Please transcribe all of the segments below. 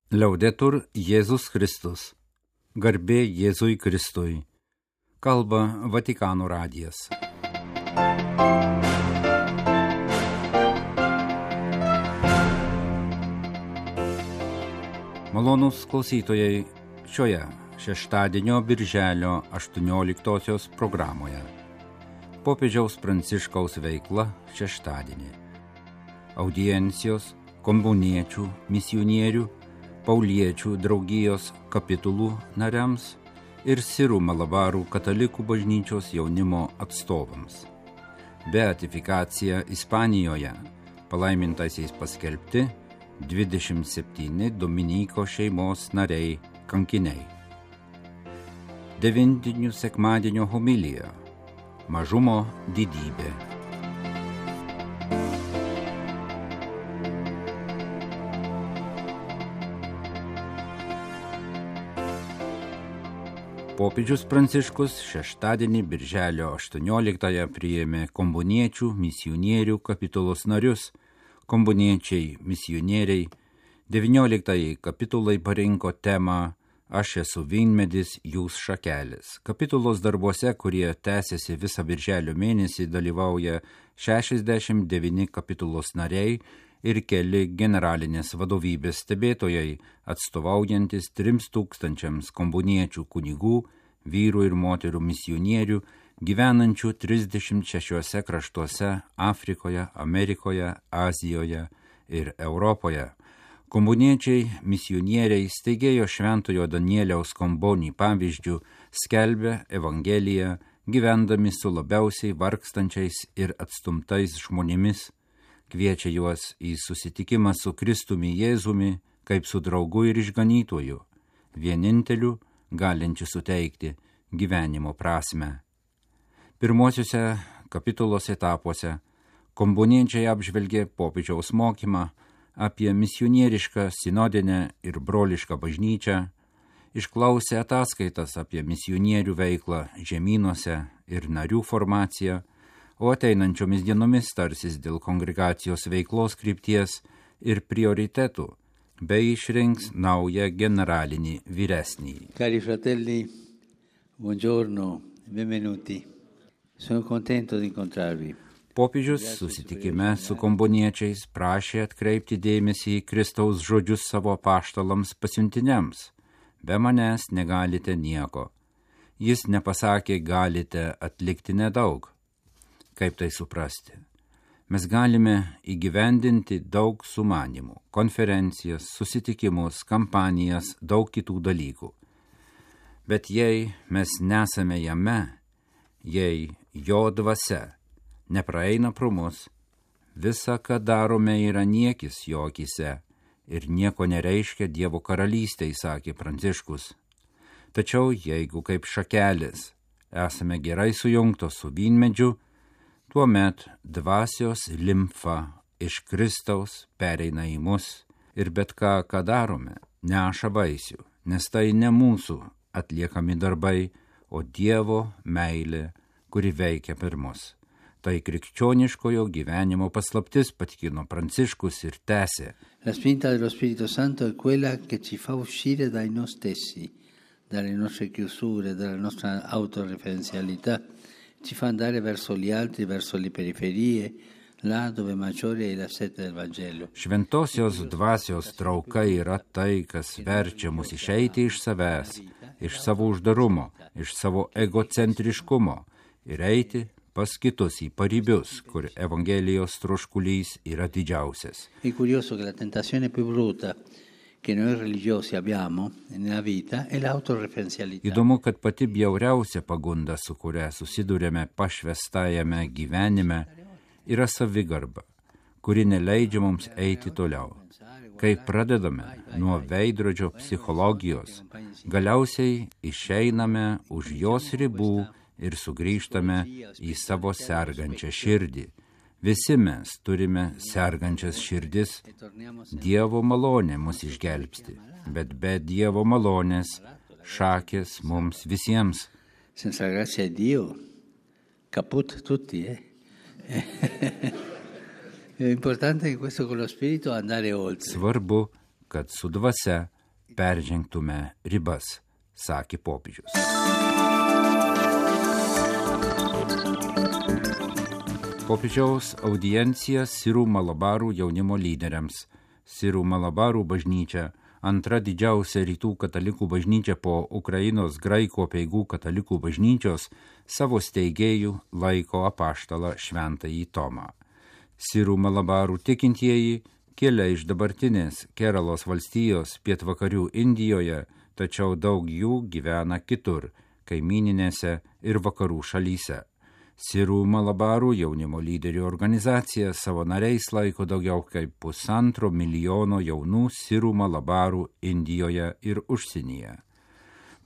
Liaudetur Jėzus Kristus. Garbė Jėzui Kristui. Kalba Vatikano radijas. Malonūs klausytojai šioje šeštadienio birželio 18 programoje. Popiežiaus Pranciškaus veikla šeštadienį. Audiencijos kombuniečių, misionierių, Pauliečių draugijos kapitulų nariams ir Sirų Malabarų katalikų bažnyčios jaunimo atstovams. Beatifikacija Ispanijoje palaimintaisiais paskelbti 27 Dominiko šeimos nariai kankiniai. Devintinių sekmadienio homilija. Mažumo didybė. Popiežius Pranciškus šeštadienį birželio 18 priėmė kombuniečių misionierių kapitulos narius. Kombuniečiai misionieriai 19 kapitulai parinko temą Aš esu vynmedis, jūs šakelės. Kapitulos darbuose, kurie tęsiasi visą birželio mėnesį, dalyvauja 69 kapitulos nariai ir keli generalinės vadovybės stebėtojai, atstovaujantis 3000 kombuniečių kunigų, vyrų ir moterų misionierių, gyvenančių 36 kraštuose Afrikoje, Amerikoje, Azijoje ir Europoje. Kombuniečiai misionieriai steigėjo Šventojo Danieliaus Kombonį pavyzdžių skelbia Evangeliją, gyvendami su labiausiai vargstančiais ir atstumtais žmonėmis, kviečia juos į susitikimą su Kristumi Jėzumi kaip su draugu ir išganytoju, vieninteliu galinčiu suteikti gyvenimo prasmę. Pirmosiuose kapitulos etapuose kombuniečiai apžvelgė popiežiaus mokymą apie misionierišką sinodinę ir brolišką bažnyčią, išklausė ataskaitas apie misionierių veiklą žemynuose ir narių formaciją, o ateinančiomis dienomis tarsis dėl kongregacijos veiklos krypties ir prioritetų, bei išrinks naują generalinį vyresnįjį. Cari fratelli, buongiorno, benvenuti. Sono contento di incontrarvi. Popiežius susitikime su kombuniečiais prašė atkreipti dėmesį į Kristaus žodžius savo apaštalams pasiuntiniams. Be manęs negalite nieko. Jis nepasakė, galite atlikti nedaug. Kaip tai suprasti? Mes galime įgyvendinti daug sumanimų, konferencijas, susitikimus, kampanijas, daug kitų dalykų. Bet jei mes nesame jame, jei jo dvasia nepraeina pro mus, visa, ką darome, yra niekis jo akyse ir nieko nereiškia Dievo karalystei, sakė Pranciškus. Tačiau jeigu kaip šakelės esame gerai sujungtos su vynmedžiu, tuomet dvasios limfa iš Kristaus pereina į mus ir bet ką darome, neša vaisių, nes tai ne mūsų atliekami darbai, o Dievo meilė, kuri veikia per mus. Tai krikščioniškojo gyvenimo paslaptis, patikino Pranciškus ir tęsė. La spinta dello Spirito Santo è quella che ci fa uscire dai noi stessi, dalle nostre chiusure, dalla nostra autoreferenzialità. Ci fa andare verso gli altri, verso le periferie, là dove maggiore è la sete del Vangelo. Šventosios dvasios trauka yra tai, kas verčia mus išeiti iš savęs, iš savo uždarumo, iš savo egocentriškumo ir eiti pas kitus į paribius, kur Evangelijos troškulys yra didžiausias. È curioso che la tentazione più brutta che noi religiosi abbiamo nella vita è l'autoreferenzialità. Įdomu, kad pati bjauriausia pagunda, su kuria susidurėme pašvestajame gyvenime, yra savigarba, kuri neleidžia mums eiti toliau. Kai pradedame nuo veidrodžio psichologijos, galiausiai išeiname už jos ribų ir sugrįžtame į savo sergančią širdį. Visi mes turime sergančias širdis, Dievo malonė mus išgelbsti, bet be Dievo malonės šakės mums visiems. Senza grazia di Dio, caput tutti, È importante in questo con lo spirito andare oltre. Svarbu, kad su dvasia neperžengtume ribas, sakė popiežius. Popiežiaus audiencija Sirų Malabarų jaunimo lyderiams. Sirų Malabarų bažnyčia, antra didžiausia rytų katalikų bažnyčia po Ukrainos graikų apeigų katalikų bažnyčios, savo steigėjų laiko apaštalą Šventąjį Tomą. Sirų Malabarų tikintieji kilę iš dabartinės Keralos valstijos pietvakarių Indijoje, tačiau daug jų gyvena kitur, kaimyninėse ir vakarų šalyse. Sirų Malabarų jaunimo lyderių organizacija savo nariais laiko daugiau kaip 1,5 milijono jaunų Sirų Malabarų Indijoje ir užsienyje.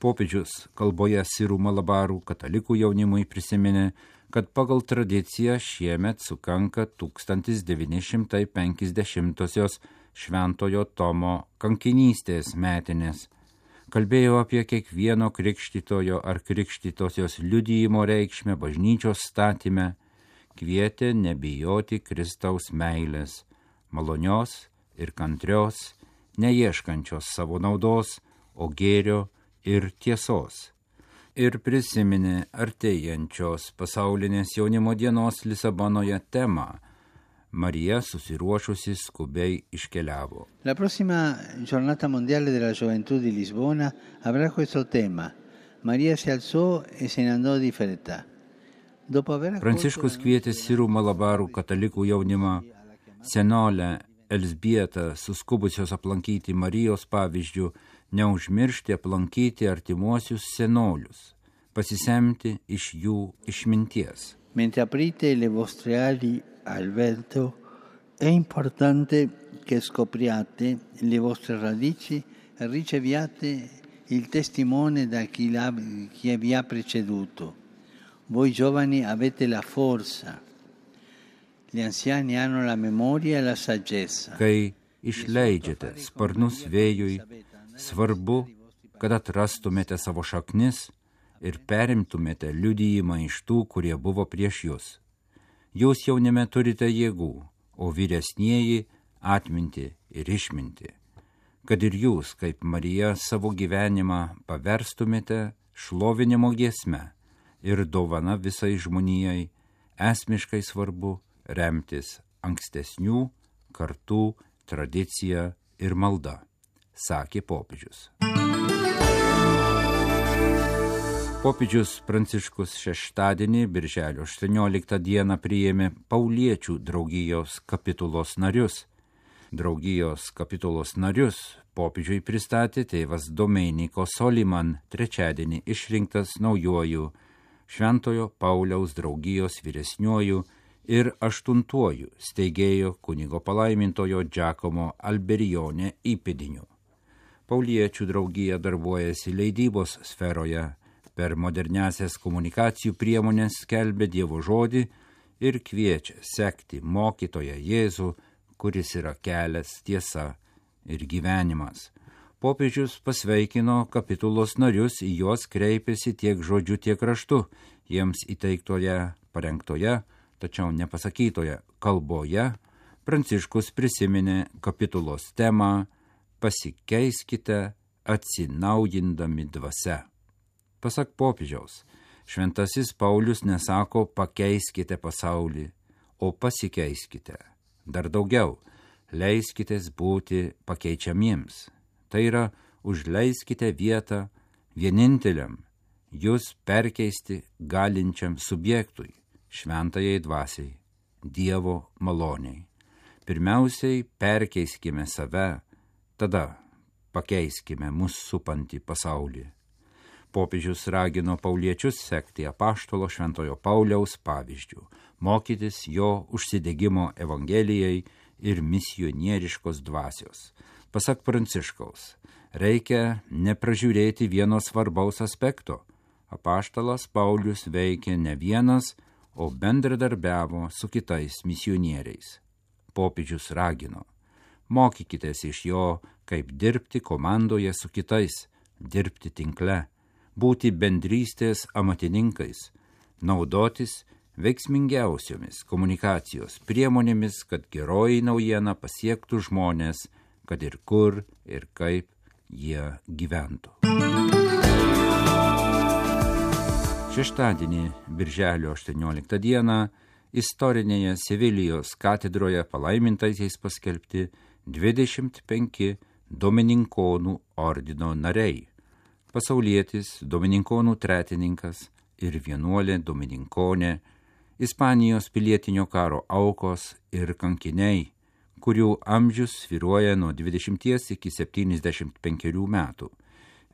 Popiežius kalboje Sirų Malabarų katalikų jaunimui prisiminė, kad pagal tradiciją šiemet sukanka 1950-osios Šventojo Tomo kankinystės metinės. Kalbėjo apie kiekvieno krikštytojo ar krikštytosios liudijimo reikšmę bažnyčios statyme, kvietė nebijoti Kristaus meilės, malonios ir kantrios, neieškančios savo naudos, o gėrio ir tiesos. Ir prisiminė artėjančios pasaulinės jaunimo dienos Lisabonoje temą. Marija susiruošusi skubiai iškeliavo. La prossima giornata mondiale della gioventù di Lisbona avrà questo tema. Maria si alzò e se ne andò di fretta. Pranciškus kvietė Sirų Malabarų katalikų jaunimą, senolę Elzbietą suskubusios aplankyti Marijos pavyzdžių, neužmiršti aplankyti artimuosius senolius, pasisemti iš jų išminties. Mentre aprite le vostre ali al vento, è importante che scopriate le vostre radici e riceviate il testimone da chi vi ha preceduto. Voi giovani avete la forza, gli anziani hanno la memoria e la saggezza. Kai išleidžiate sparnus vėjui, svarbu, kad atrastumėte savo šaknis ir perimtumėte liudijimą iš tų, kurie buvo prieš jūs. Jūs jaunime turite jėgų, o vyresnieji atminti ir išminti. Kad ir jūs, kaip Marija, savo gyvenimą paverstumėte šlovinimo giesme ir dovana visai žmonijai, esmiškai svarbu remtis ankstesnių kartų tradicija ir malda, sakė popiežius. Popiežius Pranciškus šeštadienį, birželio 18 dieną, priėmė Pauliečių draugijos kapitulos narius. Draugijos kapitulos narius popiežiui pristatė tėvas Domenico Soliman, trečiadienį išrinktas naujuoju Šventojo Pauliaus draugijos vyresniuoju ir 8 steigėjo kunigo palaimintojo Giacomo Alberione įpėdiniu. Pauliečių draugija darbuojasi leidybos sferoje. Per moderniasias komunikacijų priemonės skelbia Dievo žodį ir kviečia sekti mokytoją Jėzų, kuris yra kelias, tiesa ir gyvenimas. Popiežius pasveikino kapitulos narius, į juos kreipėsi tiek žodžiu, tiek raštu. Jiems įteiktoje, parengtoje, tačiau nepasakytoje kalboje Pranciškus prisiminė kapitulos temą Pasikeiskite atsinaujindami dvasia. Pasak popiežiaus, šventasis Paulius nesako pakeiskite pasaulį, o pasikeiskite. Dar daugiau, leiskitės būti pakeičiamiems. Tai yra, užleiskite vietą vieninteliam, jūs perkeisti galinčiam subjektui, šventajai dvasiai, Dievo maloniai. Pirmiausiai perkeiskime save, tada pakeiskime mus supantį pasaulį. Popiežius ragino pauliečius sekti apaštalo Šventojo Pauliaus pavyzdžių, mokytis jo užsidegimo evangelijai ir misionieriškos dvasios. Pasak Pranciškaus, reikia nepražiūrėti vieno svarbaus aspekto. Apaštalas Paulius veikė ne vienas, o bendradarbiavo su kitais misionieriais. Popiežius ragino, mokykitės iš jo, kaip dirbti komandoje su kitais, dirbti tinkle, būti bendrystės amatininkais, naudotis veiksmingiausiomis komunikacijos priemonėmis, kad geroji naujiena pasiektų žmonės, kad ir kur ir kaip jie gyventų. Šeštadienį, birželio 18 dieną, istorinėje Sevilijos katedroje palaimintaisiais paskelbti 25 Domininkonų ordino nariai, pasaulietis Domininkonų tretininkas ir vienuolė Domininkonė, Ispanijos pilietinio karo aukos ir kankiniai, kurių amžius svyruoja nuo 20 iki 75 metų.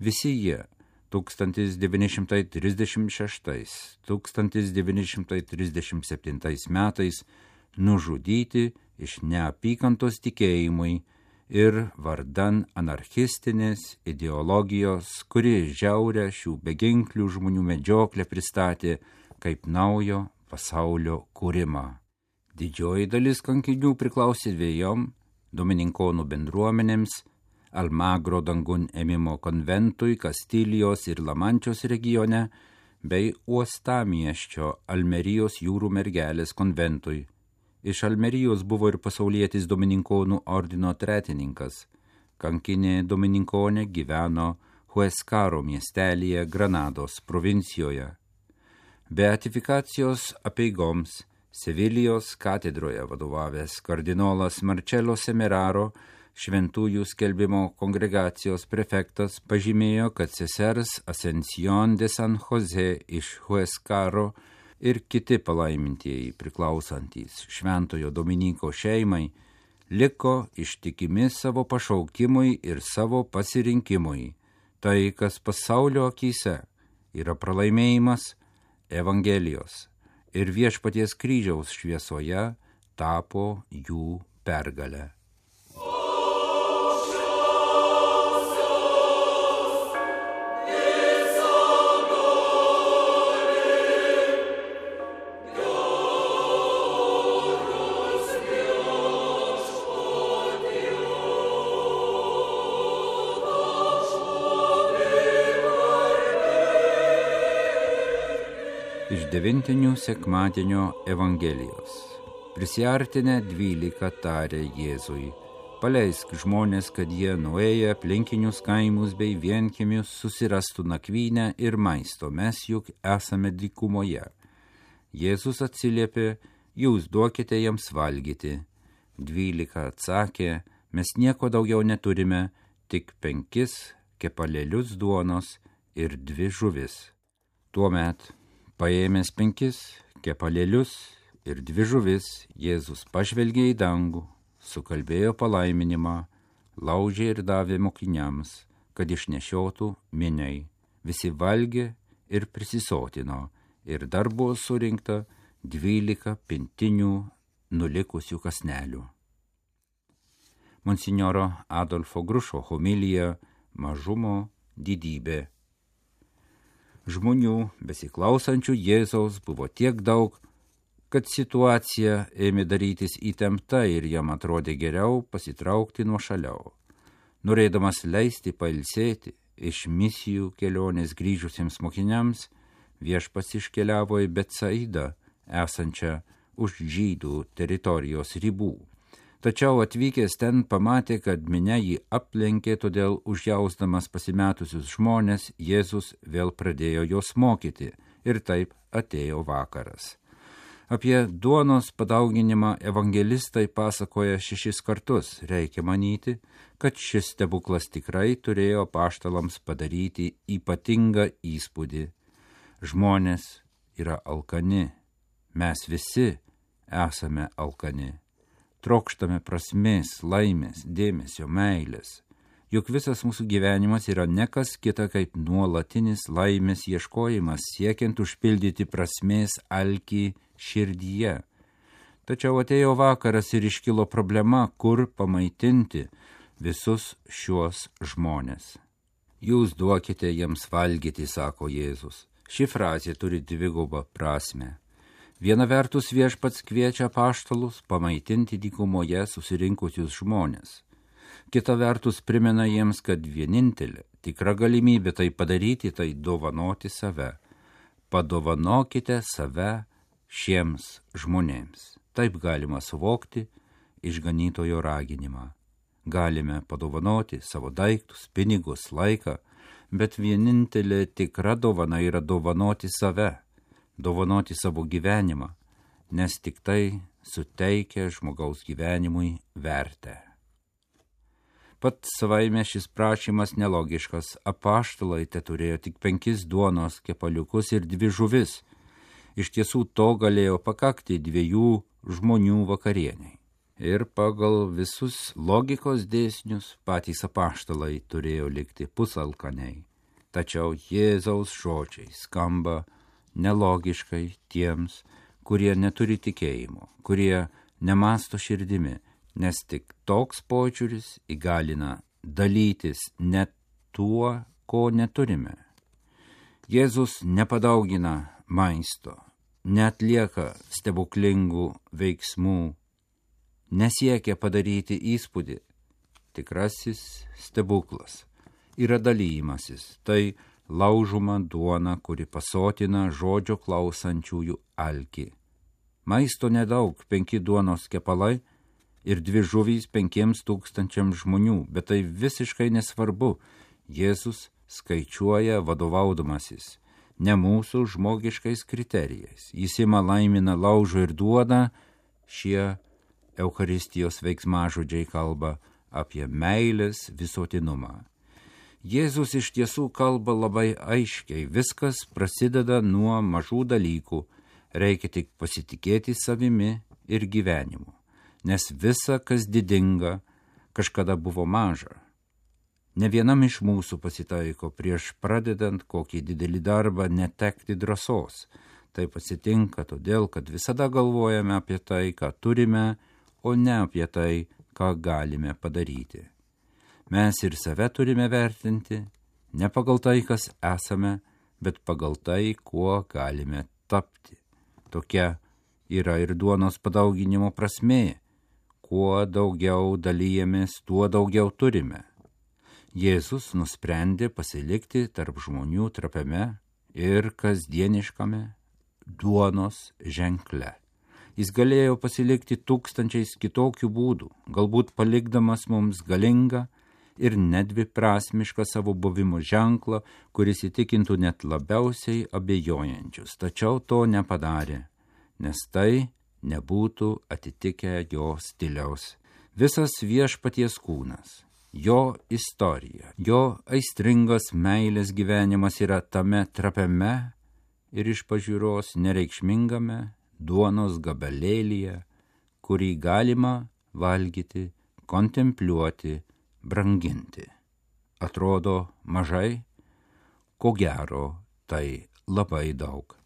Visi jie 1936–1937 metais nužudyti iš neapykantos tikėjimui ir vardan anarchistinės ideologijos, kuri žiaurę šių beginklių žmonių medžioklę pristatė kaip naujo pasaulio kūrimą. Didžioji dalis kankinių priklausė dviejom Domininkonų bendruomenėms: Almagro dangun ėmimo konventui Kastilijos ir Lamančios regione bei uostamiesčio Almerijos jūrų mergelės konventui. Iš Almerijos buvo ir pasaulietis Domininkonų ordino tretininkas. Kankinė Domininkonė gyveno Huescaro miestelyje Granados provincijoje. Beatifikacijos apeigoms Sevilijos katedroje vadovavęs kardinolas Marcello Semeraro, Šventųjų skelbimo kongregacijos prefektas, pažymėjo, kad sesers Ascensión de San José iš Huescaro ir kiti palaimintieji priklausantys Šventojo Dominiko šeimai liko ištikimi savo pašaukimui ir savo pasirinkimui. Tai, kas pasaulio akyse yra pralaimėjimas Evangelijos ir Viešpaties kryžiaus šviesoje, tapo jų pergale. Iš devintinių sekmadienio Evangelijos. Prisiartinę 12 tarė Jėzui: paleisk žmonės, kad jie nuėję aplinkinius kaimus bei vienkiemius susirastų nakvynę ir maisto, mes juk esame dykumoje. Jėzus atsiliepė: jūs duokite jiems valgyti. 12 atsakė: mes nieko daugiau neturime, tik 5 kepalėlius duonos ir 2 žuvis. Tuomet paėmęs 5 kepalėlius ir 2 žuvis, Jėzus pažvelgė į dangų, sukalbėjo palaiminimą, laužė ir davė mokiniams, kad išnešiotų miniai. Visi valgė ir prisisotino, ir dar buvo surinkta 12 pintinių nulikusių kąsnelių. Monsinjoro Adolfo Grušo homilija Mažumo didybė. Žmonių besiklausančių Jėzaus buvo tiek daug, kad situacija ėmė darytis įtempta ir jam atrodė geriau pasitraukti nuošaliau. Norėdamas leisti pailsėti iš misijų kelionės grįžusiems mokiniams, Viešpats iškeliavo į Betsaidą, esančią už žydų teritorijos ribų. Tačiau atvykęs ten pamatė, kad minia jį aplenkė, todėl užjausdamas pasimetusius žmonės, Jėzus vėl pradėjo juos mokyti ir taip atėjo vakaras. Apie duonos padauginimą evangelistai pasakoja 6 kartus. Reikia manyti, kad šis stebuklas tikrai turėjo apaštalams padaryti ypatingą įspūdį. Žmonės yra alkani, mes visi esame alkani. Trokštame prasmės, laimės, dėmesio, meilės. Juk visas mūsų gyvenimas yra ne kas kita kaip nuolatinis laimės ieškojimas, siekiant užpildyti prasmės alkį širdyje. Tačiau atėjo vakaras ir iškilo problema, kur pamaitinti visus šiuos žmonės. Jūs duokite jiems valgyti, sako Jėzus. Ši frazė turi dvigubą prasmę. Viena vertus Viešpats kviečia apaštalus pamaitinti dykumoje susirinkusius žmonės. Kita vertus primena jiems, kad vienintelė tikra galimybė tai padaryti, tai dovanoti save. Padovanokite save šiems žmonėms. Taip galima suvokti išganytojo raginimą. Galime padovanoti savo daiktus, pinigus, laiką, bet vienintelė tikra dovana yra dovanoti save, dovanoti savo gyvenimą, nes tik tai suteikia žmogaus gyvenimui vertę. Pat savaime šis prašymas nelogiškas, apaštalai teturėjo tik 5 duonos kepaliukus ir 2 žuvis. Iš tiesų to galėjo pakakti 2 žmonių vakarieniai. Ir pagal visus logikos dėsnius patys apaštalai turėjo likti pusalkaniai. Tačiau Jėzaus žodžiai skamba nelogiškai tiems, kurie neturi tikėjimo, kurie nemąsto širdimi, nes tik toks požiūris įgalina dalytis net tuo, ko neturime. Jėzus nepadaugina maisto, neatlieka stebuklingų veiksmų, nesiekia padaryti įspūdį. Tikrasis stebuklas yra dalymasis, tai laužoma duona, kuri pasotina žodžio klausančiųjų alkį. Maisto nedaug, 5 duonos kepalai ir 2 žuvys 5,000 žmonių, bet tai visiškai nesvarbu. Jėzus skaičiuoja vadovaudamasis, ne mūsų žmogiškais kriterijais. Jis ima laimina laužo ir duoda, šie Eucharistijos veiksmažodžiai kalba apie meilės visuotinumą. Jėzus iš tiesų kalba labai aiškiai, viskas prasideda nuo mažų dalykų, reikia tik pasitikėti savimi ir gyvenimu, nes visa, kas didinga, kažkada buvo maža. Ne vienam iš mūsų pasitaiko prieš pradedant kokį didelį darbą netekti drąsos. Taip atsitinka todėl, kad visada galvojame apie tai, ką turime, o ne apie tai, ką galime padaryti. Mes ir save turime vertinti, ne pagal tai, kas esame, bet pagal tai, kuo galime tapti. Tokia yra ir duonos padauginimo prasmė. Kuo daugiau dalyjamės, tuo daugiau turime. Jėzus nusprendė pasilikti tarp žmonių trapiame ir kasdieniškame duonos ženkle. Jis galėjo pasilikti 1000 kitokių būdų, galbūt palikdamas mums galingą ir nedviprasmišką savo buvimo ženklą, kuris įtikintų net labiausiai abejojančius, tačiau to nepadarė, nes tai nebūtų atitikę jo stiliaus. Visas viešpaties kūnas, jo istorija, jo aistringas meilės gyvenimas yra tame trapiame ir iš pažiūros nereikšmingame duonos gabalėlyje, kurį galima valgyti, kontempliuoti, branginti. Atrodo mažai, ko gero tai labai daug.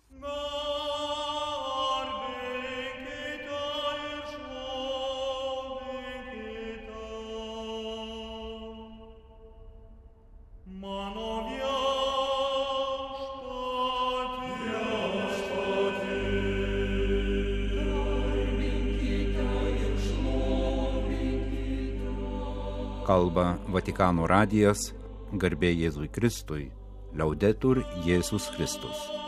Kalba Vatikano radijas, garbė Jėzui Kristui, Laudetur Jėzus Kristus.